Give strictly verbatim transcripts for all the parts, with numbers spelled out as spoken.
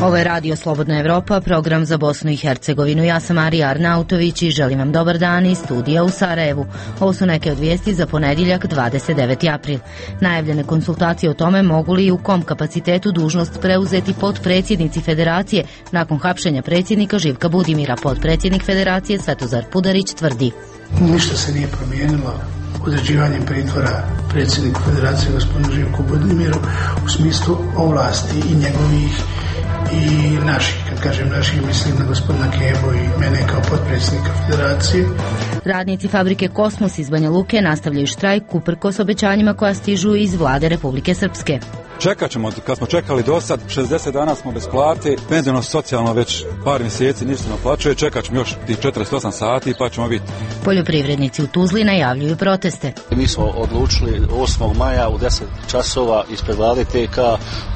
Ovo je Radio Slobodna Evropa, program za Bosnu i Hercegovinu. Ja sam Marija Arnautović i želim vam dobar dan iz studija u Sarajevu. Ovo su neke od vijesti za ponedjeljak dvadeset deveti april. Najavljene konsultacije o tome mogu li i u kom kapacitetu dužnost preuzeti potpredsjednici Federacije nakon hapšenja predsjednika Živka Budimira. Potpredsjednik Federacije Svetozar Pudarić tvrdi: ništa se nije promijenilo određivanjem pritvora predsjedniku Federacije gospodinu Živku Budimiru u smislu ovlasti i njegovih i naših. Kad kažem naših, mislim na gospodina Kebu i mene kao potpredsjednika Federacije. Radnici fabrike Kosmos iz Banja Luke nastavljaju štrajk uprkos obećanjima koja stižu iz vlade Republike Srpske. Čekat ćemo, kad smo čekali do sad, šezdeset dana smo bez plate, penziono socijalno već par mjeseci ništa ne naplaćuje, čekat ćemo još tih četrdeset osam sati pa ćemo biti. Poljoprivrednici u Tuzli najavljuju proteste. Mi smo odlučili osmog maja u deset časova ispred vlade T K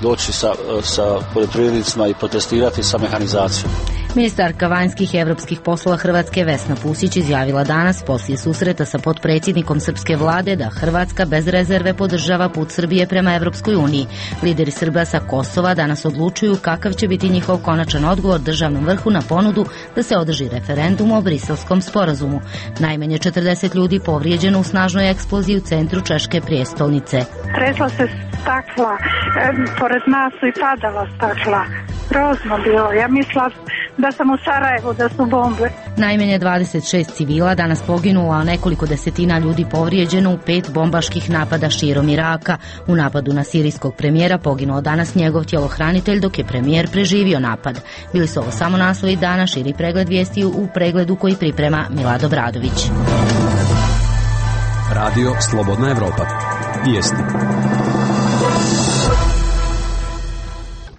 doći sa, sa poljoprivrednicima i protestirati sa mehanizacijom. Ministarka vanjskih i evropskih poslova Hrvatske Vesna Pusić izjavila danas poslije susreta sa potpredsjednikom srpske vlade da Hrvatska bez rezerve podržava put Srbije prema Evropskoj uniji. Lideri Srba sa Kosova danas odlučuju kakav će biti njihov konačan odgovor državnom vrhu na ponudu da se održi referendum o Briselskom sporazumu. Najmanje četrdeset ljudi povrijeđeno u snažnoj eksploziji u centru češke prijestolnice. Tresla se stakla, e, pored nas su i padala stakla. Grozno bilo, ja mislila da sam u Sarajevu, da su bombe. Najmanje dvadeset šest civila danas poginulo, a nekoliko desetina ljudi povrijeđeno u pet bombaških napada širom Iraka. U napadu na sirijskog premijera poginuo danas njegov tjelohranitelj, dok je premijer preživio napad. Bili su ovo samo naslovi dana, širi pregled vijesti u pregledu koji priprema Milad Obradović. Radio Slobodna Evropa. Vijesti.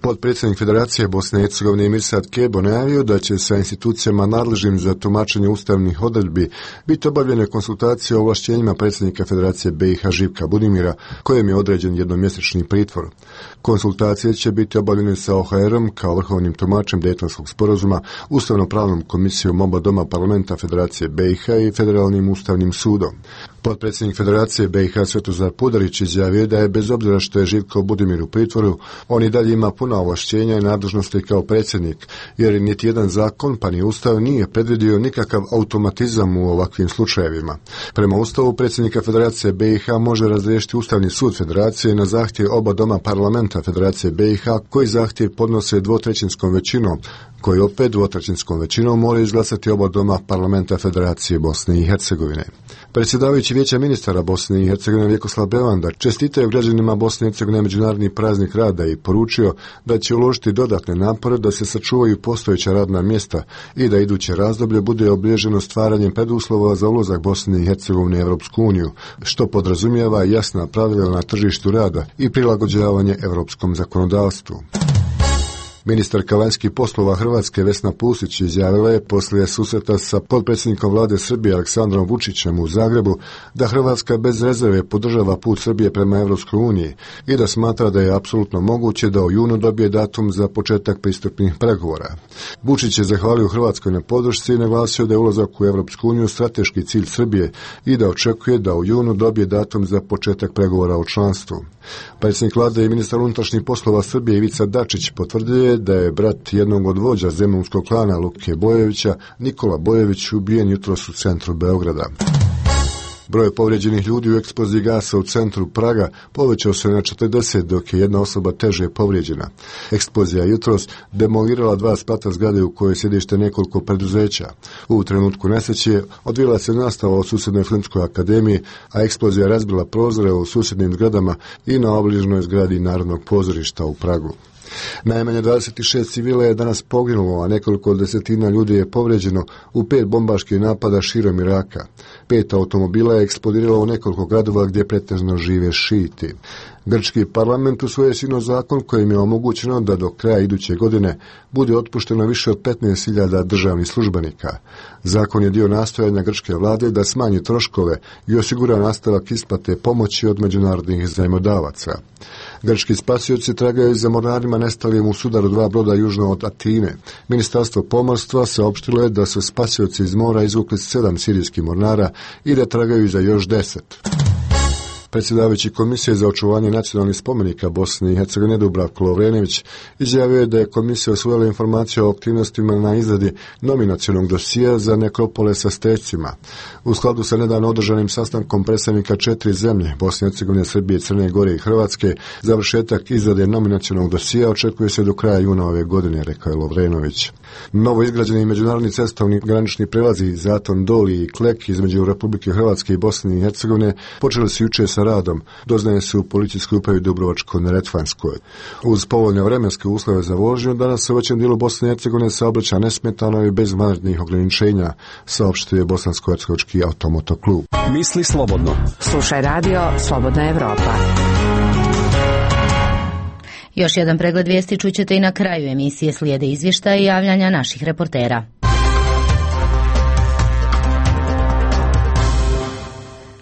Potpredsjednik Federacije Bosne i Hercegovine Mirsad Kebo najavio da će sa institucijama nadležnim za tumačenje ustavnih odredbi biti obavljene konsultacije o ovlašćenjima predsjednika Federacije B i H Živka Budimira, kojem je određen jednomjesečni pritvor. Konsultacije će biti obavljene sa O H R-om kao vrhovnim tumačem Dejtonskog sporazuma, ustavno-pravnom komisijom oba doma parlamenta Federacije B i H i Federalnim ustavnim sudom. Potpredsjednik Federacije B i H Svetozar Pudarić izjavio da je bez obzira što je Živko Budimir u pritvoru, on i dalje ima puna ovlašćenja i nadležnosti kao predsjednik, jer niti jedan zakon pa ni ustav nije predvidio nikakav automatizam u ovakvim slučajevima. Prema ustavu predsjednika Federacije B i H može razriješiti Ustavni sud Federacije na zahtjev oba doma parlamenta Federacije B i H, koji zahtjev podnose dvotrećinskom većinom, koji opet dvotrećinskom većinom mora izglasati oba doma parlamenta Federacije Bosne i Hercegovine. Predsjedavajući Vijeća ministara Bosne i Hercegovine Vjekoslav Bevanda čestitao građanima Bosne i Hercegovine međunarodni praznik rada i poručio da će uložiti dodatne napore da se sačuvaju postojeća radna mjesta i da iduće razdoblje bude obilježeno stvaranjem preduslova za ulazak Bosne i Hercegovine u Europsku uniju, što podrazumijeva jasna pravila na tržištu rada i prilagođavanje europskom zakonodavstvu. Ministarka vanjskih poslova Hrvatske Vesna Pusić izjavila je poslije susreta sa potpredsjednikom vlade Srbije Aleksandrom Vučićem u Zagrebu da Hrvatska bez rezerve podržava put Srbije prema Evropskoj uniji i da smatra da je apsolutno moguće da u junu dobije datum za početak pristupnih pregovora. Vučić je zahvalio Hrvatskoj na podršci i naglasio da je ulazak u Evropsku uniju strateški cilj Srbije i da očekuje da u junu dobije datum za početak pregovora o članstvu. Predsjednik vlade i ministar unutrašnjih poslova Srbije Ivica Dačić potvrdio da je brat jednog od vođa zemunskog klana Luke Bojevića, Nikola Bojević, ubijen jutros u centru Beograda. Broj povrijeđenih ljudi u eksploziji gasa u centru Praga povećao se na četrdeset, dok je jedna osoba teže povrijeđena. Eksplozija jutros demolirala dva sprata zgrade u kojoj sjedište nekoliko preduzeća. U trenutku nesreće odvila se nastava u susjednoj Filmskoj akademiji, a eksplozija razbila prozore u susjednim zgradama i na obližnjoj zgradi Narodnog pozorišta u Pragu. Najmanje dvadeset šest civila je danas poginulo, a nekoliko desetina ljudi je povrijeđeno u pet bombaških napada širom Iraka. Pet automobila je eksplodiralo u nekoliko gradova gdje pretežno žive šiti. Grčki parlament usvojio sinoć zakon kojim je omogućeno da do kraja iduće godine bude otpušteno više od petnaest hiljada državnih službenika. Zakon je dio nastojanja grčke vlade da smanji troškove i osigura nastavak isplate pomoći od međunarodnih zajmodavaca. Grčki spasioci tragaju za mornarima nestalim u sudaru dva broda južno od Atine. Ministarstvo pomorstva saopštilo je da su spasioci iz mora izvukli sedam sirijskih mornara i da tragaju za još deset. Predsjedavajući Komisije za očuvanje nacionalnih spomenika Bosne i Hercegovine Dubravko Lovrenović izjavio je da je komisija osvojila informaciju o aktivnostima na izradi nominacionog dosija za nekropole sa stecima. U skladu sa nedavno održanim sastankom predstavnika četiri zemlje, Bosne i Hercegovine, Srbije, Crne Gore i Hrvatske, završetak izrade nominacionog dosija očekuje se do kraja juna ove godine, rekao je Lovrenović. Novo izgrađeni međunarodni cestovni granični prelazi Zaton Doli i Klek između Republike Hrvatske i Bosne i Hercegovine počeli su jučer sa radom, doznaje se u policijskoj upravi Dubrovačko-neretvanskoj. Uz povoljne vremenske uslove za vožnju, danas se u većem dijelu Bosne i Hercegovine saobraća nesmetano i bez vanrednih ograničenja, saopštuje Bosansko-hercegovački automotoklub. Misli slobodno. Slušaj radio Slobodna Evropa. Još jedan pregled vijesti čućete i na kraju emisije, slijede izvještaje i javljanja naših reportera.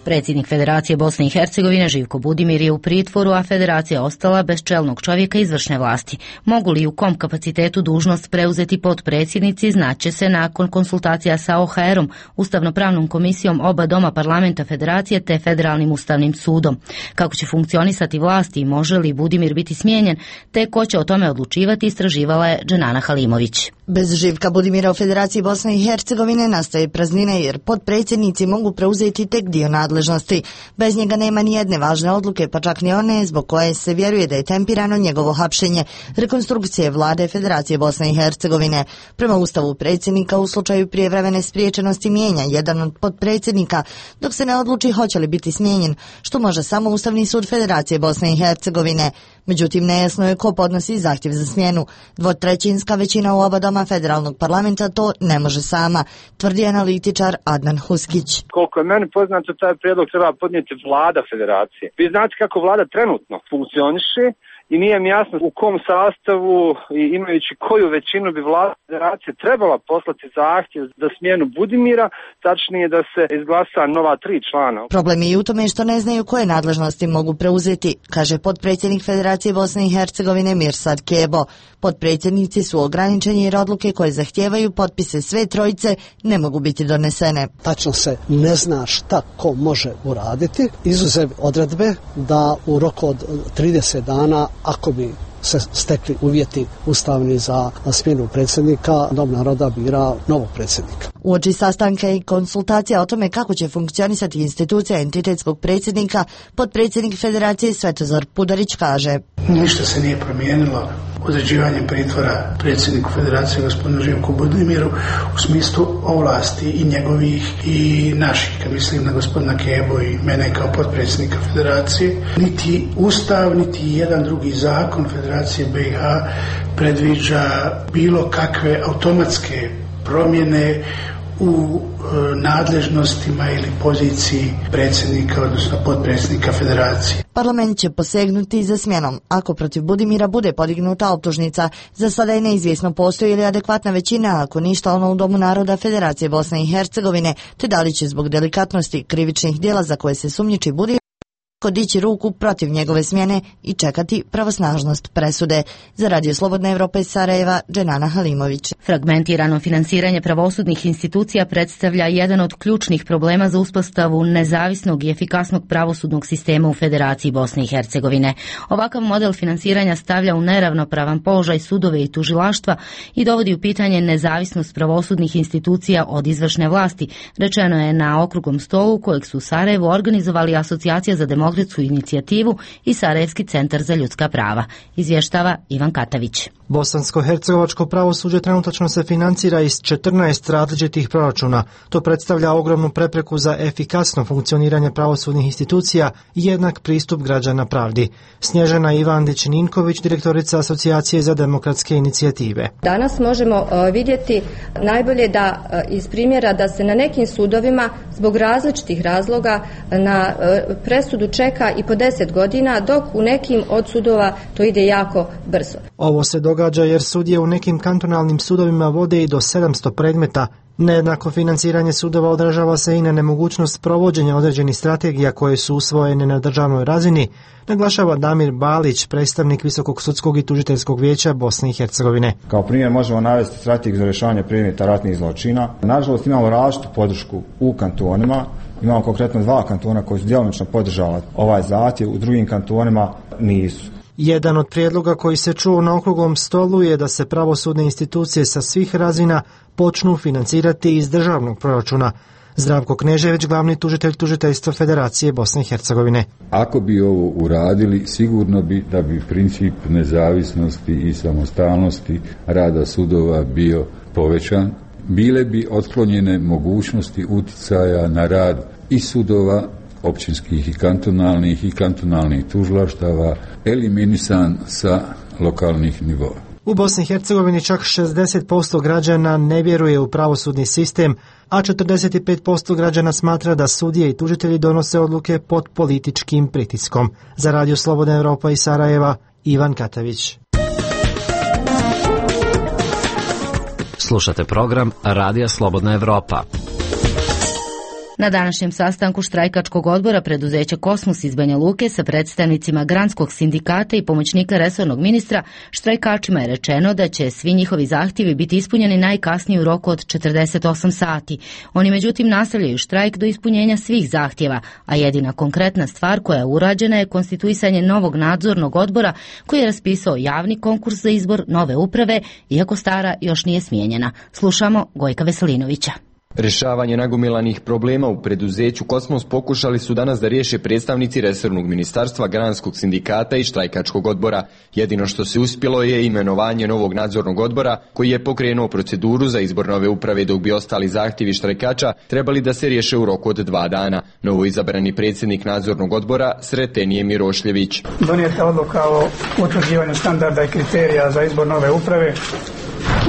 Predsjednik Federacije Bosne i Hercegovine Živko Budimir je u pritvoru, a Federacija ostala bez čelnog čovjeka izvršne vlasti. Mogu li u kom kapacitetu dužnost preuzeti potpredsjednici, znaće se nakon konsultacija sa O H R-om, Ustavno-pravnom komisijom oba doma parlamenta Federacije te Federalnim ustavnim sudom. Kako će funkcionisati vlasti i može li Budimir biti smijenjen, te ko će o tome odlučivati, istraživala je Dženana Halimović. Bez Živka Budimira u Federaciji Bosne i Hercegovine nastaje praznina jer potpredsjednici mogu preuzeti tek dio nadležnosti. Bez njega nema ni jedne važne odluke, pa čak ni one zbog koje se vjeruje da je tempirano njegovo hapšenje, rekonstrukcije vlade Federacije Bosne i Hercegovine. Prema ustavu predsjednika u slučaju prijevremene spriječenosti mijenja jedan od potpredsjednika, dok se ne odluči hoće li biti smijenjen, što može samo Ustavni sud Federacije Bosne i Hercegovine. Međutim, nejasno je ko podnosi zahtjev za smjenu. Dvotrećinska većina u oba doma federalnog parlamenta to ne može sama, tvrdi analitičar Adnan Huskić. Koliko je meni poznato, taj prijedlog treba podnijeti vlada federacije. Vi znate kako vlada trenutno funkcioniše i nije mi jasno u kom sastavu i imajući koju većinu bi vlada federacije trebala poslati zahtjev za smjenu Budimira, tačnije da se izglasa nova tri člana. Problem je i u tome što ne znaju koje nadležnosti mogu preuzeti, kaže potpredsjednik Federacije Bosne i Hercegovine Mirsad Kebo. Potpredsjednici su ograničeni jer odluke koje zahtijevaju potpise sve trojice ne mogu biti donesene. Tačno se ne zna šta ko može uraditi, izuzev odredbe da u roku od trideset dana, ako bi se stekli uvjeti ustavni za smjenu predsjednika, Dom naroda bira novog predsjednika. Uoči sastanka i konsultacija o tome kako će funkcionisati institucija entitetskog predsjednika, potpredsjednik Federacije Svetozar Pudarić kaže: Ništa se nije promijenilo određivanjem pritvora predsjedniku Federacije gospodinu Živku Budimiru u smislu ovlasti i njegovih i naših, kad mislim na gospodina Kebo i mene kao potpredsjednika Federacije. Niti Ustav, niti jedan drugi zakon Federacije B i H predviđa bilo kakve automatske promjene u e, nadležnostima ili poziciji predsjednika, odnosno potpredsjednika Federacije. Parlament će posegnuti za smjenom ako protiv Budimira bude podignuta optužnica. Za sada je neizvjesno postoji li adekvatna većina, ako ništa ono u Domu naroda Federacije Bosne i Hercegovine, te da li će zbog delikatnosti krivičnih djela za koje se sumnjiči Budimir dići ruku protiv njegove smjene i čekati pravosnažnost presude. Za Radio Slobodna Evropa iz Sarajeva, Dženana Halimović. Fragmentirano finansiranje pravosudnih institucija predstavlja jedan od ključnih problema za uspostavu nezavisnog i efikasnog pravosudnog sistema u Federaciji Bosne i Hercegovine. Ovakav model finansiranja stavlja u neravnopravan položaj sudove i tužilaštva i dovodi u pitanje nezavisnost pravosudnih institucija od izvršne vlasti, rečeno je na okruglom stolu kojeg su u Sarajevu organizovali Asocijacija za demokratsku inicijativu i Sarajevski centar za ljudska prava. Izvještava Ivan Katavić. Bosansko-hercegovačko pravosuđe trenutačno se financira iz četrnaest različitih proračuna. To predstavlja ogromnu prepreku za efikasno funkcioniranje pravosudnih institucija i jednak pristup građana pravdi. Snježana Ivandić-Ninković, direktorica Asocijacije za demokratske inicijative. Danas možemo vidjeti najbolje da iz primjera da se na nekim sudovima zbog različitih razloga na presudu čeka i po deset godina, dok u nekim od sudova to ide jako brzo. Ovo se događa jer sudije u nekim kantonalnim sudovima vode i do sedamsto predmeta Nejednako financiranje sudova odražava se i na nemogućnost provođenja određenih strategija koje su usvojene na državnoj razini, naglašava Damir Balić, predstavnik Visokog sudskog i tužiteljskog vijeća Bosne i Hercegovine. Kao primjer možemo navesti strategiju za rješavanje predmeta ratnih zločina. Nažalost imamo različitu podršku u kantonima. Imamo konkretno dva kantona koji su djelomično podržali ovaj zahtjev, u drugim kantonima nisu. Jedan od prijedloga koji se čuo na okruglom stolu je da se pravosudne institucije sa svih razina počnu financirati iz državnog proračuna. Zdravko Knežević, glavni tužitelj tužiteljstva Federacije Bosne i Hercegovine. Ako bi ovo uradili, sigurno bi da bi princip nezavisnosti i samostalnosti rada sudova bio povećan. Bile bi otklonjene mogućnosti uticaja na rad i sudova, općinskih i kantonalnih i kantonalnih tužilaštava, eliminisan sa lokalnih nivoa. U Bosni i Hercegovini čak šezdeset posto građana ne vjeruje u pravosudni sistem, a četrdeset pet posto građana smatra da sudije i tužitelji donose odluke pod političkim pritiskom. Za Radio Slobodna Evropa iz Sarajeva, Ivan Katavić. Slušate program Radija Slobodna Evropa. Na današnjem sastanku štrajkačkog odbora preduzeća Kosmos iz Banja Luke sa predstavnicima Granskog sindikata i pomoćnika resornog ministra, štrajkačima je rečeno da će svi njihovi zahtjevi biti ispunjeni najkasnije u roku od četrdeset osam sati. Oni međutim nastavljaju štrajk do ispunjenja svih zahtjeva, a jedina konkretna stvar koja je urađena je konstituisanje novog nadzornog odbora koji je raspisao javni konkurs za izbor nove uprave, iako stara još nije smijenjena. Slušamo Gojka Veselinovića. Rješavanje nagomilanih problema u preduzeću Kosmos pokušali su danas da riješe predstavnici resornog ministarstva, Granskog sindikata i štrajkačkog odbora. Jedino što se uspjelo je imenovanje novog nadzornog odbora koji je pokrenuo proceduru za izbor nove uprave, dok bi ostali zahtjevi štrajkača trebali da se riješe u roku od dva dana. Novo izabrani predsjednik nadzornog odbora Sreten je Mirošljević. Donijeta odluka o utvrđivanju standarda i kriterija za izbor nove uprave,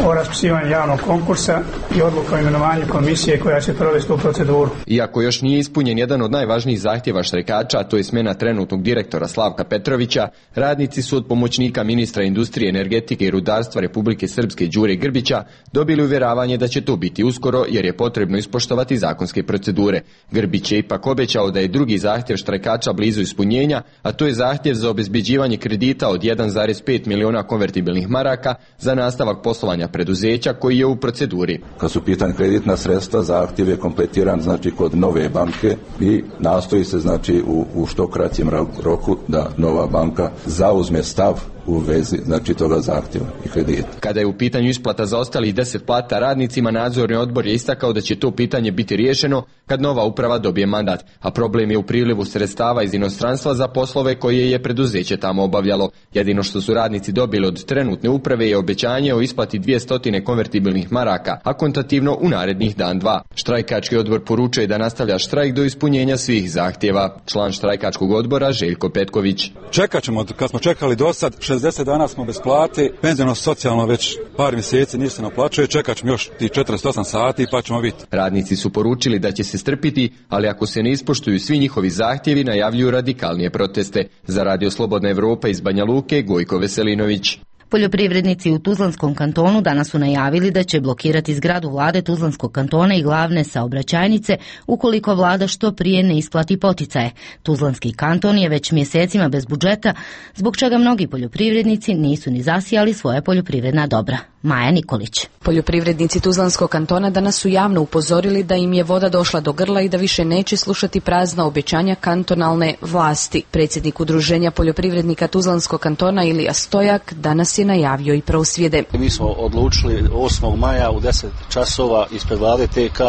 o raspisivanju javnog konkursa i odluka o imenovanju komisije koja će provesti u proceduru. Iako još nije ispunjen jedan od najvažnijih zahtjeva štrajkača, a to je smjena trenutnog direktora Slavka Petrovića, radnici su od pomoćnika ministra industrije, energetike i rudarstva Republike Srpske Đure Grbića dobili uvjeravanje da će to biti uskoro jer je potrebno ispoštovati zakonske procedure. Grbić je ipak obećao da je drugi zahtjev štrajkača blizu ispunjenja, a to je zahtjev za obezbjeđivanje kredita od jedan zarez pet miliona konvertibilnih maraka za nastavak poslovanja preduzeća koji je u proceduri. Kad su pitanje kreditna sredstva, zahtjev je kompletiran znači kod nove banke i nastoji se znači u, u što kraćem roku da nova banka zauzme stav u vezi znači toga zahtjeva i kredita. Kada je u pitanju isplata za ostalih deset plata radnicima, nadzorni odbor je istakao da će to pitanje biti riješeno kad nova uprava dobije mandat, a problem je u prilivu sredstava iz inostranstva za poslove koje je preduzeće tamo obavljalo. Jedino što su radnici dobili od trenutne uprave je obećanje o isplati dvjesto konvertibilnih maraka, a kontativno u narednih dan dva. Štrajkački odbor poručuje da nastavlja štrajk do ispunjenja svih zahtjeva. Član štrajkačkog odbora Željko Petković. Čekat ćemo, kad smo čekali do sad, šezdeset dana smo bez plate, penziono socijalno već par mjeseci ništa ne naplaćuje, čekat ćemo još ti četrdeset osam sati pa ćemo biti. Radnici su poručili da će se strpiti, ali ako se ne ispoštuju svi njihovi zahtjevi, najavljuju radikalnije proteste. Za Radio Slobodna Evropa iz Banja Luke, Gojko Veselinović. Poljoprivrednici u Tuzlanskom kantonu danas su najavili da će blokirati zgradu vlade Tuzlanskog kantona i glavne saobraćajnice ukoliko vlada što prije ne isplati poticaje. Tuzlanski kanton je već mjesecima bez budžeta, zbog čega mnogi poljoprivrednici nisu ni zasijali svoje poljoprivredna dobra. Maja Nikolić. Poljoprivrednici Tuzlanskog kantona danas su javno upozorili da im je voda došla do grla i da više neće slušati prazna obećanja kantonalne vlasti. Predsjednik udruženja poljoprivrednika Tuzlanskog kantona Ilija Stojak danas je najavio i prosvjede. Mi smo odlučili osmog maja u deset časova ispred vlade T K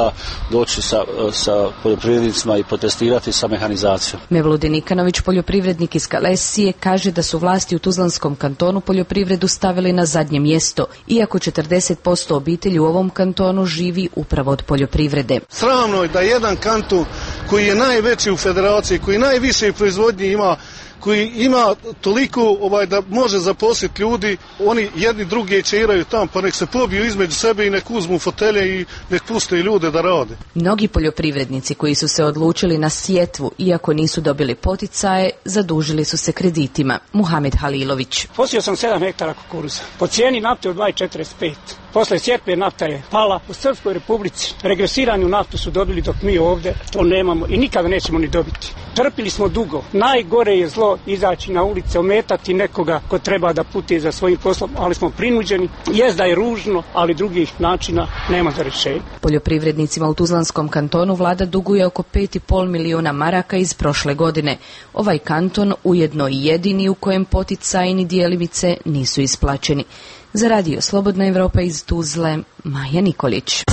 doći sa, sa poljoprivrednicima i protestirati sa mehanizacijom. Mevludin Nikanović, poljoprivrednik iz Kalesije, kaže da su vlasti u Tuzlanskom kantonu poljoprivredu stavili na zadnje mjesto, iako četrdeset posto obitelji u ovom kantonu živi upravo od poljoprivrede. Sramno je da jedan kanton koji je najveći u federaciji, koji najviše proizvodnje ima, koji ima toliko ovaj, da može zaposliti ljudi, oni jedni drugi čiraju tamo, pa nek se pobiju između sebe i nek uzmu fotelje i nek puste ljude da rade. Mnogi poljoprivrednici koji su se odlučili na sjetvu, iako nisu dobili poticaje, zadužili su se kreditima. Muhamed Halilović. Posio sam sedam hektara kukuruza, po cijeni nafte od dva četrdeset pet. Posle sjetve nafta je pala. U Srpskoj Republici regresiranu naftu su dobili dok mi ovdje to nemamo i nikada nećemo ni dobiti. Trpili smo dugo. Najgore je zlo izaći na ulice, ometati nekoga ko treba da putuje za svojim poslom, ali smo prinuđeni. Jest da je ružno, ali drugih načina nema za rješenje. Poljoprivrednicima u Tuzlanskom kantonu vlada duguje oko pet i pol miliona maraka iz prošle godine. Ovaj kanton ujedno i jedini u kojem poticajni dijelimice nisu isplaćeni. Za radio Slobodna Evropa iz Tuzle, Maja Nikolić.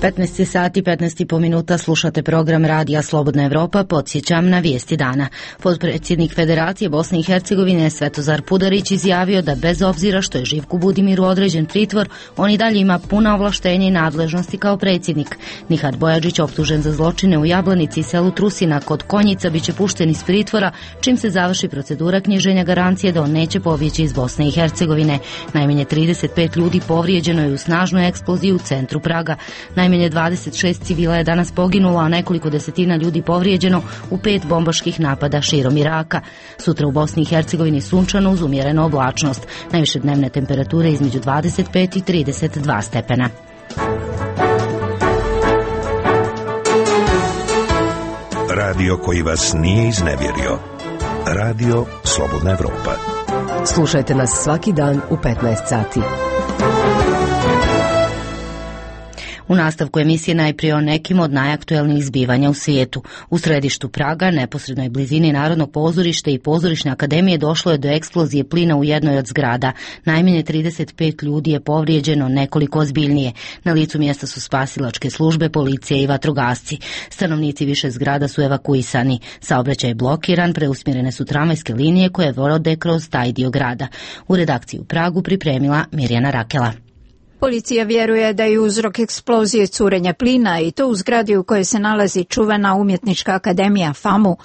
petnaest sati i petnaest i po minuta slušate program Radija Slobodna Evropa. Podsjećam na vijesti dana. Potpredsjednik Federacije Bosne i Hercegovine Svetozar Pudarić izjavio da bez obzira što je Živku Budimiru određen pritvor, on i dalje ima puna ovlaštenja i nadležnosti kao predsjednik. Nihad Bojađić, optužen za zločine u Jablanici i selu Trusina kod Konjica, bit će pušten iz pritvora čim se završi procedura knjiženja garancije da on neće pobjeći iz Bosne i Hercegovine. Najmanje trideset pet ljudi povrijeđeno je u snažnoj eksploziji u centru Praga. Najmanje dvadeset šest civila je danas poginulo, a nekoliko desetina ljudi povrijeđeno u pet bombaških napada širom Iraka. Sutra u Bosni i Hercegovini sunčano uz umjerenu oblačnost. Najviše dnevne temperature između dvadeset pet i trideset dva stepena. Radio koji vas nije iznevjerio. Radio Slobodna Evropa. Slušajte nas svaki dan u petnaest sati. U nastavku emisije najprije o nekim od najaktuelnijih zbivanja u svijetu. U središtu Praga, neposrednoj blizini Narodnog pozorišta i Pozorišne akademije, došlo je do eksplozije plina u jednoj od zgrada. Najmanje trideset pet ljudi je povrijeđeno, nekoliko ozbiljnije. Na licu mjesta su spasilačke službe, policija i vatrogasci. Stanovnici više zgrada su evakuisani. Saobraćaj je blokiran, preusmjerene su tramvajske linije koje vode kroz taj dio grada. U redakciji u Pragu pripremila Mirjana Rakela. Policija vjeruje da je uzrok eksplozije curenja plina i to u zgradi u kojoj se nalazi čuvena umjetnička akademija FAMU.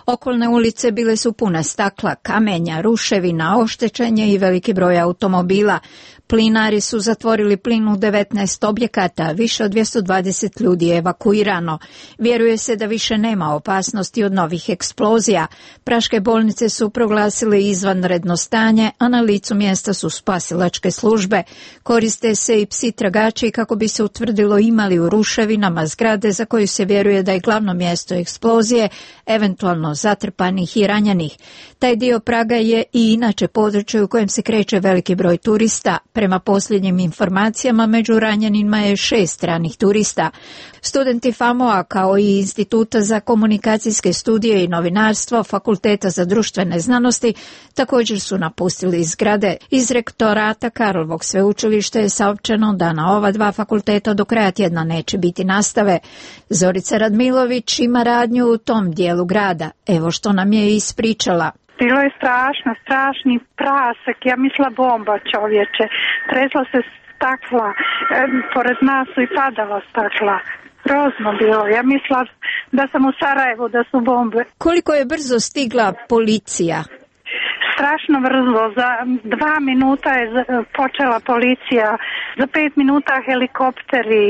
Okolne ulice bile su pune stakla, kamenja, ruševina, oštećenje i veliki broj automobila. Plinari su zatvorili plin u devetnaest objekata, više od dvjesto dvadeset ljudi je evakuirano. Vjeruje se da više nema opasnosti od novih eksplozija. Praške bolnice su proglasile izvanredno stanje, a na licu mjesta su spasilačke službe. Koriste se i psi tragači kako bi se utvrdilo imali u ruševinama zgrade za koju se vjeruje da je glavno mjesto eksplozije, eventualno zatrpanih i ranjenih. Taj dio Praga je i inače područje u kojem se kreće veliki broj turista. Prema posljednjim informacijama, među ranjenima je šest stranih turista. Studenti FAMU-a kao i Instituta za komunikacijske studije i novinarstvo Fakulteta za društvene znanosti također su napustili zgrade. Iz rektorata Karlovog sveučilišta je saopćeno da na ova dva fakulteta do kraja tjedna neće biti nastave. Zorica Radmilović ima radnju u tom dijelu grada. Evo što nam je ispričala. Bilo je strašno, strašni prasak, ja mislila bomba, čovječe. Tresla se stakla, e, pored nas su i padala stakla. Grozno bilo, ja mislila da sam u Sarajevu, da su bombe. Koliko je brzo stigla policija? Strašno brzo, za dva minuta je počela policija, za pet minuta helikopteri,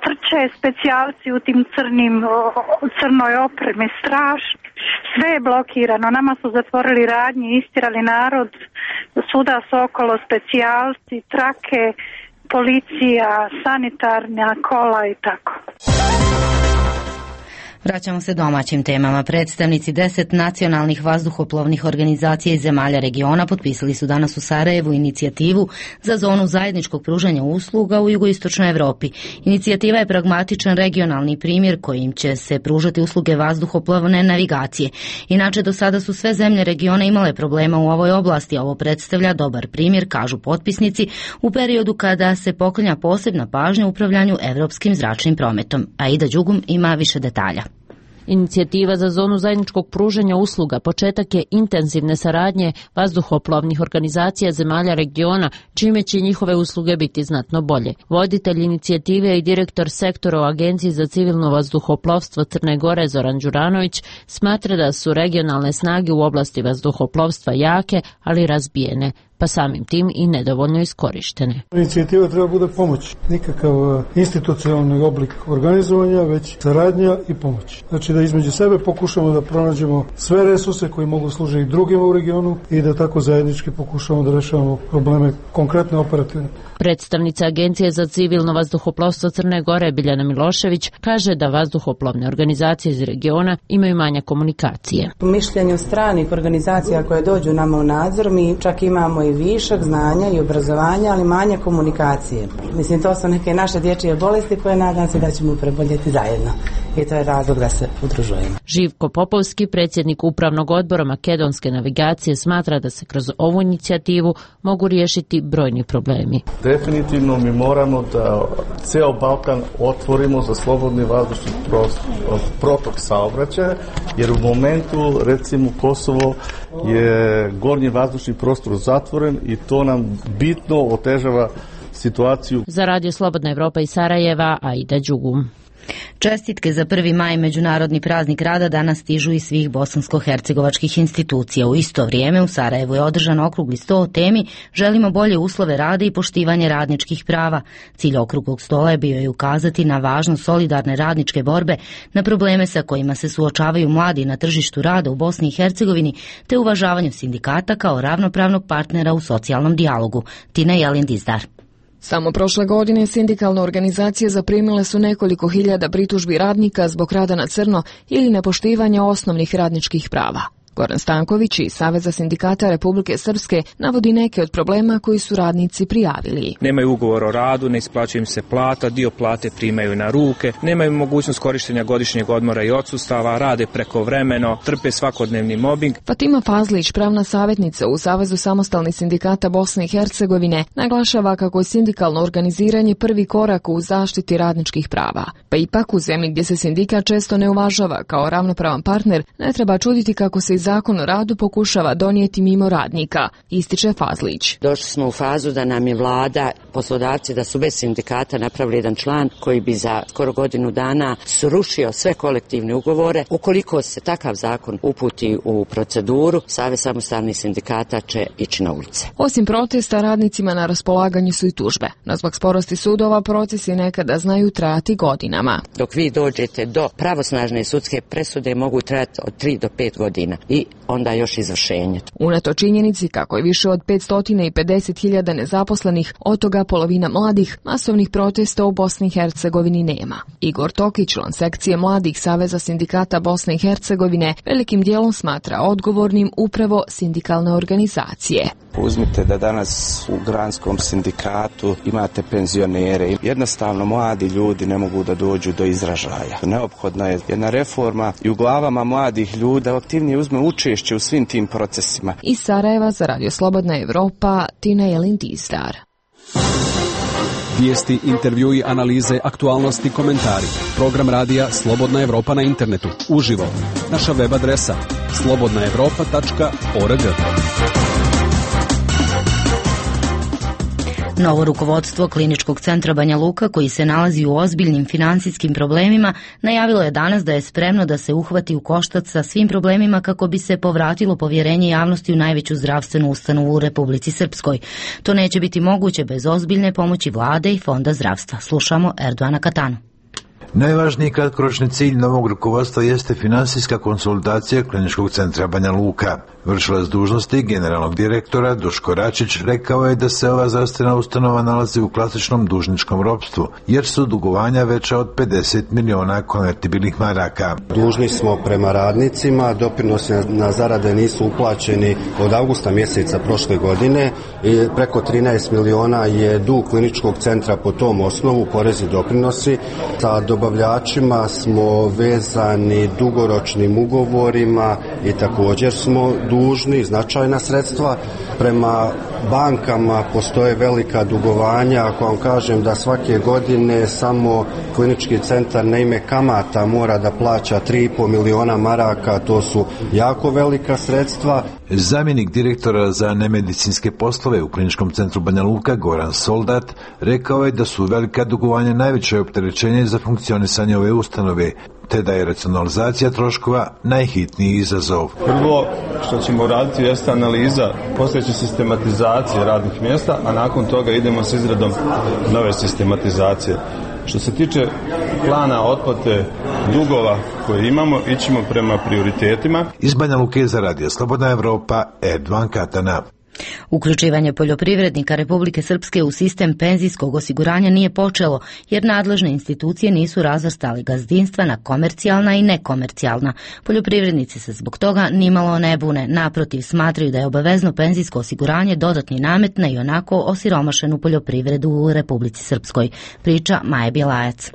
trče specijalci u tim crnim, crnoj opremi, strašno. Sve je blokirano, nama su zatvorili radnje, istirali narod, svuda su okolo specijalci, trake, policija, sanitarna kola i tako. Vraćamo se domaćim temama. Predstavnici deset nacionalnih vazduhoplovnih organizacija iz zemalja regiona potpisali su danas u Sarajevu inicijativu za zonu zajedničkog pružanja usluga u jugoistočnoj Europi. Inicijativa je pragmatičan regionalni primjer kojim će se pružati usluge vazduhoplovne navigacije. Inače, do sada su sve zemlje regiona imale problema u ovoj oblasti, a ovo predstavlja dobar primjer, kažu potpisnici, u periodu kada se poklanja posebna pažnja upravljanju europskim zračnim prometom. Aida Đugum ima više detalja. Inicijativa za zonu zajedničkog pružanja usluga početak je intenzivne saradnje vazduhoplovnih organizacija zemalja regiona, čime će njihove usluge biti znatno bolje. Voditelj inicijative i direktor sektora u Agenciji za civilno vazduhoplovstvo Crne Gore Zoran Đuranović smatra da su regionalne snage u oblasti vazduhoplovstva jake, ali razbijene. pa samim tim i nedovoljno iskorištene. Inicijativa treba bude pomoć, nikakav institucionalni oblik organizovanja, već saradnja i pomoć. Znači da između sebe pokušamo da pronađemo sve resurse koji mogu služiti drugima u regionu i da tako zajednički pokušamo da rešavamo probleme konkretne operativne. Predstavnica Agencije za civilno vazduhoplovstvo Crne Gore Biljana Milošević kaže da vazduhoplovne organizacije iz regiona imaju manja komunikacije. Po mišljenju stranih organizacija koje dođu nama u nadzor, mi čak imamo i višak znanja i obrazovanja, ali manje komunikacije. Mislim, to su neke naše dječje bolesti koje nadam se da ćemo preboljeti zajedno. I to je razlog da se udružujemo. Živko Popovski, predsjednik upravnog odbora makedonske navigacije, smatra da se kroz ovu inicijativu mogu riješiti brojni problemi. Definitivno mi moramo da ceo Balkan otvorimo za slobodni vazdušni protok saobraćaja, jer u momentu, recimo, Kosovo je gornji vazdušni prostor zatvoren i to nam bitno otežava situaciju. Za Radio Slobodna Evropa iz Sarajeva, Aida Đugum. Čestitke za prvi maj, međunarodni praznik rada, danas stižu iz svih bosansko-hercegovačkih institucija. U isto vrijeme u Sarajevu je održan okrugli sto o temi Želimo bolje uslove rada i poštivanje radničkih prava. Cilj okruglog stola je bio i ukazati na važnost solidarne radničke borbe, na probleme sa kojima se suočavaju mladi na tržištu rada u Bosni i Hercegovini, te uvažavanju sindikata kao ravnopravnog partnera u socijalnom dijalogu. Tina Jelin Dizdar. Samo prošle godine sindikalne organizacije zaprimile su nekoliko hiljada pritužbi radnika zbog rada na crno ili nepoštivanja osnovnih radničkih prava. Goran Stanković iz Saveza sindikata Republike Srpske navodi neke od problema koji su radnici prijavili. Nemaju ugovor o radu, ne isplaćuje im se plata, dio plate primaju na ruke, nemaju mogućnost korištenja godišnjeg odmora i odsustava, rade prekovremeno, trpe svakodnevni mobbing. Fatima Fazlić, pravna savjetnica u Savezu samostalnih sindikata Bosne i Hercegovine, naglašava kako je sindikalno organiziranje prvi korak u zaštiti radničkih prava. Pa ipak u zemlji gdje se sindikat često ne uvažava kao ravnopravan partner, ne treba čuditi kako se Zakon o radu pokušava donijeti mimo radnika, ističe Fazlić. Došli smo u fazu da nam je vlada, poslodavci da su bez sindikata napravili jedan član koji bi za skoro godinu dana srušio sve kolektivne ugovore. Ukoliko se takav zakon uputi u proceduru, Savez samostalnih sindikata će ići na ulice. Osim protesta, radnicima na raspolaganju su i tužbe. No zbog sporosti sudova procesi nekada znaju trajati godinama. Dok vi dođete do pravosnažne sudske presude mogu trajati od tri do pet godina. I onda još izvršenje. Unato činjenici kako je više od petsto pedeset hiljada nezaposlenih, od toga polovina mladih, masovnih protesta u Bosni i Hercegovini nema. Igor Tokić, član sekcije mladih Saveza sindikata Bosne i Hercegovine, velikim dijelom smatra odgovornim upravo sindikalne organizacije. Uzmite da danas u granskom sindikatu imate penzionere. Jednostavno mladi ljudi ne mogu da dođu do izražaja. Neophodna je jedna reforma i u glavama mladih ljudi da aktivnije uzme učešće u svim tim procesima. Iz Sarajeva za Radio Slobodna Evropa, Tina Jelin Dizdar. Vijesti, intervjui, analize, aktualnosti, komentari. Program radija Slobodna Evropa na internetu. Uživo. Naša web adresa slobodna evropa tačka org. Novo rukovodstvo Kliničkog centra Banja Luka, koji se nalazi u ozbiljnim financijskim problemima, najavilo je danas da je spremno da se uhvati u koštac sa svim problemima kako bi se povratilo povjerenje javnosti u najveću zdravstvenu ustanovu u Republici Srpskoj. To neće biti moguće bez ozbiljne pomoći vlade i Fonda zdravstva. Slušamo Erdoana Katanu. Najvažniji kratkoročni cilj novog rukovodstva jeste finansijska konsolidacija Kliničkog centra Banja Luka. Vršilac dužnosti generalnog direktora Duško Račić rekao je da se ova zdravstvena ustanova nalazi u klasičnom dužničkom ropstvu, jer su dugovanja veća od pedeset miliona konvertibilnih maraka. Dužni smo prema radnicima, doprinosi na zarade nisu uplaćeni od avgusta mjeseca prošle godine i preko trinaest miliona je dug Kliničkog centra po tom osnovu, porezi doprinosi. Sa dobavljačima smo vezani dugoročnim ugovorima i također smo dužni značajna sredstva. Prema bankama postoje velika dugovanja. Ako vam kažem da svake godine samo Klinički centar na ime kamata mora da plaća tri i pol miliona maraka, to su jako velika sredstva. Zamjenik direktora za nemedicinske poslove u Kliničkom centru Banja Luka Goran Soldat rekao je da su velika dugovanja najveće opterećenje za funkcionisanje ove ustanove, te da je racionalizacija troškova najhitniji izazov. Prvo što ćemo raditi jeste analiza postojeće sistematizacije radnih mjesta, a nakon toga idemo s izradom nove sistematizacije. Što se tiče plana otplate dugova koje imamo, ićemo prema prioritetima. Iz Banja Luke za Radio Slobodna Evropa, Erdovan Katana. Uključivanje poljoprivrednika Republike Srpske u sistem penzijskog osiguranja nije počelo, jer nadležne institucije nisu razvrstali gazdinstva na komercijalna i nekomercijalna. Poljoprivrednici se zbog toga nimalo ne bune, naprotiv smatraju da je obavezno penzijsko osiguranje dodatni namet na ionako osiromašenu poljoprivredu u Republici Srpskoj. Priča Maja Bjelajac.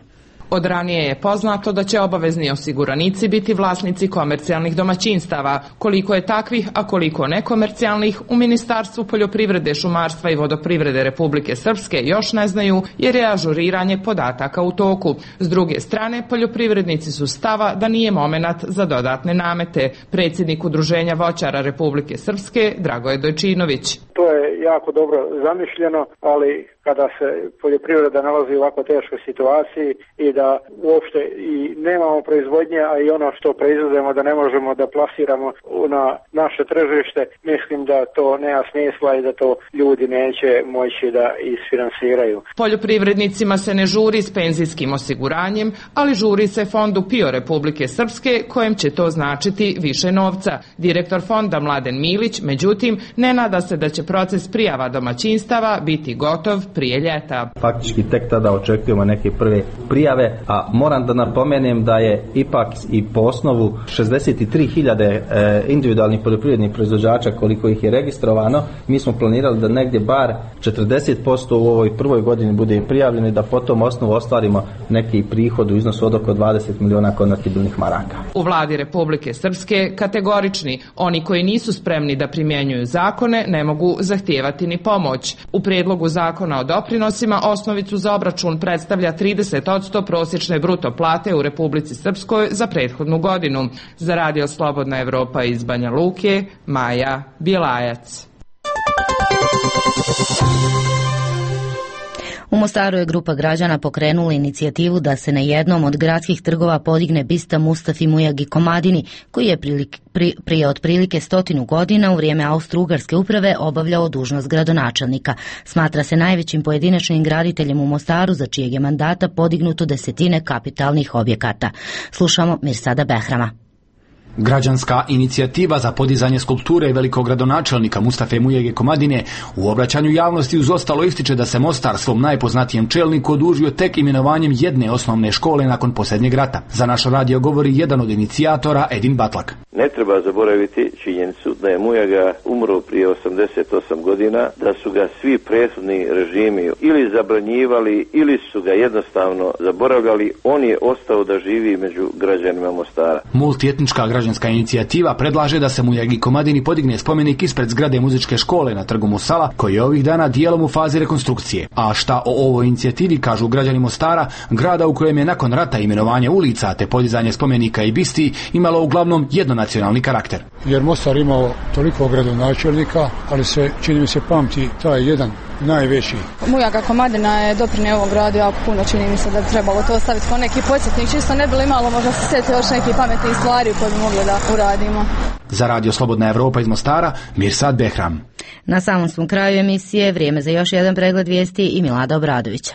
Od ranije je poznato da će obavezni osiguranici biti vlasnici komercijalnih domaćinstava. Koliko je takvih, a koliko nekomercijalnih, u Ministarstvu poljoprivrede, šumarstva i vodoprivrede Republike Srpske još ne znaju, jer je ažuriranje podataka u toku. S druge strane, poljoprivrednici su stava da nije momenat za dodatne namete. Predsjednik Udruženja voćara Republike Srpske, Dragoje Dojčinović. To je jako dobro zamišljeno, ali kada se poljoprivreda nalazi u ovako teškoj situaciji i da uopšte i nemamo proizvodnje, a i ono što proizvodimo da ne možemo da plasiramo na naše tržište, mislim da to nema smisla i da to ljudi neće moći da isfinansiraju. Poljoprivrednicima se ne žuri s penzijskim osiguranjem, ali žuri se fondu P I O Republike Srpske, kojem će to značiti više novca. Direktor fonda Mladen Milić, međutim, ne nada se da će proces prijava domaćinstava biti gotov prije ljeta. Faktički tek tada očekujemo neke prve prijave, a moram da napomenem da je ipak i po osnovu šezdeset tri hiljade individualnih poljoprivrednih proizvođača koliko ih je registrovano, mi smo planirali da negdje bar četrdeset posto u ovoj prvoj godini bude prijavljeno i da po tom osnovu ostvarimo neki prihod u iznosu od oko dvadeset miliona konvertibilnih maraka. U vladi Republike Srpske kategorični, oni koji nisu spremni da primjenjuju zakone ne mogu zahtijevati ni pomoć. U prijedlogu zakona o doprinosima osnovicu za obračun predstavlja trideset posto prosječne bruto plate u Republici Srpskoj za prethodnu godinu. Za Radio Slobodna Evropa iz Banja Luke, Maja Bjelajac. U Mostaru je grupa građana pokrenula inicijativu da se na jednom od gradskih trgova podigne bista Mustafi Mujagi Komadini, koji je prilik, pri, prije otprilike stotinu godina u vrijeme Austro-Ugarske uprave obavljao dužnost gradonačelnika. Smatra se najvećim pojedinačnim graditeljem u Mostaru, za čijeg je mandata podignuto desetine kapitalnih objekata. Slušamo Mirsada Behrama. Građanska inicijativa za podizanje skulpture velikog gradonačelnika Mustafe Mujage Komadine u obraćanju javnosti uz ostalo ističe da se Mostar svom najpoznatijem čelniku odužio tek imenovanjem jedne osnovne škole nakon posljednjeg rata. Za naš radio govori jedan od inicijatora, Edin Batlak. Ne treba zaboraviti činjenicu da je Mujaga umro prije osamdeset osam godina, da su ga svi prethodni režimi ili zabranjivali ili su ga jednostavno zaboravljali. On je ostao da živi među građanima Mostara. Multietnička građanska inicijativa predlaže da se Mujagi Komadini podigne spomenik ispred zgrade muzičke škole na trgu Musala, koji je ovih dana dijelom u fazi rekonstrukcije. A šta o ovoj inicijativi kažu građani Mostara, grada u kojem je nakon rata imenovanje ulica te podizanje spomenika i bisti imalo uglavnom jednonacionalni karakter. Jer Mostar imao toliko gradonačelnika, ali se, čini mi se, pamti taj jedan najveći. Mujaga Komadina je doprinio ovom gradu jako puno, čini mi se da bi trebalo to ostaviti kao neki podsjetnik, čisto ne bilo imalo možda se sjeti još nekih pametnih stvari koje bi mogli da uradimo. Za Radio Slobodna Evropa iz Mostara, Mirsad Behram. Na samom svom kraju emisije vrijeme za još jedan pregled vijesti i Milada Obradovića.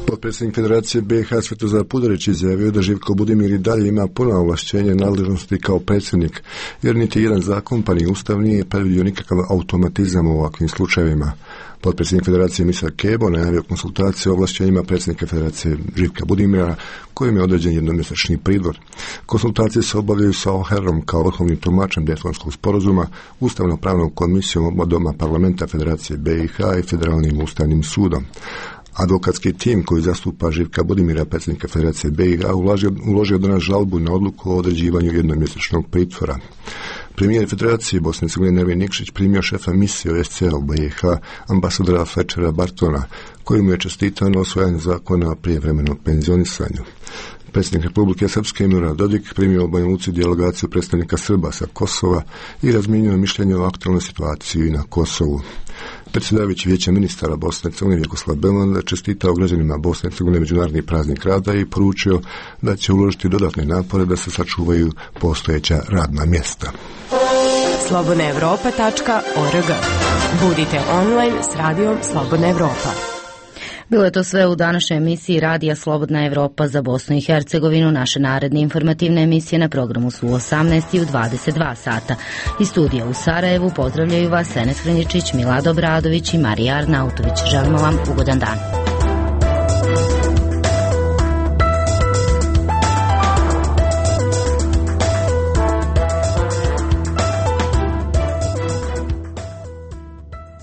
Potpredsjednik Federacije B i H Svetozar Pudarić izjavio da Živko Budimir i dalje ima puna ovlašćenja nadležnosti kao predsjednik, jer niti jedan zakon pa ni ustav nije predvidio nikakav automatizam u ovakvim slučajevima. Potpredsjednik Federacije Misar Kebo najavio konsultacije o ovlašćenjima predsjednika Federacije Živka Budimira, kojim je određen jednomjesečni pridvor. Konsultacije se obavljaju sa Oherom kao vrhovnim tumačem Daytonskog sporazuma, ustavno-pravnom komisijom oba doma parlamenta Federacije B i H i Federalnim ustavnim sudom. Advokatski tim koji zastupa Živka Budimira, predsjednika Federacije B i H, uložio, uložio danas žalbu na odluku o određivanju jednomjesečnog pritvora. Premijer Federacije Bosne i Hercegovine Nermin Nikšić primio šefa misije O S C E u B i H, ambasadora Fletchera Bartona, koji mu je čestitao na osvajanju zakona o prijevremenom penzionisanju. Predsjednik Republike Srpske Milorad Dodik primio u Banja Luci delegaciju predstavnika Srba sa Kosova i razmijenio mišljenje o aktualnoj situaciji na Kosovu. Predsjedavajući Vijeća ministara Bosne i Hercegovine Vjekoslav Belan čestitao građanima Bosne i Hercegovine međunarodni praznik rada i poručio da će uložiti dodatne napore da se sačuvaju postojeća radna mjesta. slobodna evropa tačka org. Budite online s radijom Slobodna Evropa. Bilo je to sve u današnjoj emisiji Radija Slobodna Evropa za Bosnu i Hercegovinu. Naše naredne informativne emisije na programu su u osamnaest i u dvadeset dva sata. Iz studija u Sarajevu pozdravljaju vas Enes Hrnjičić, Milad Obradović i Marija Arnautović. Želimo vam ugodan dan.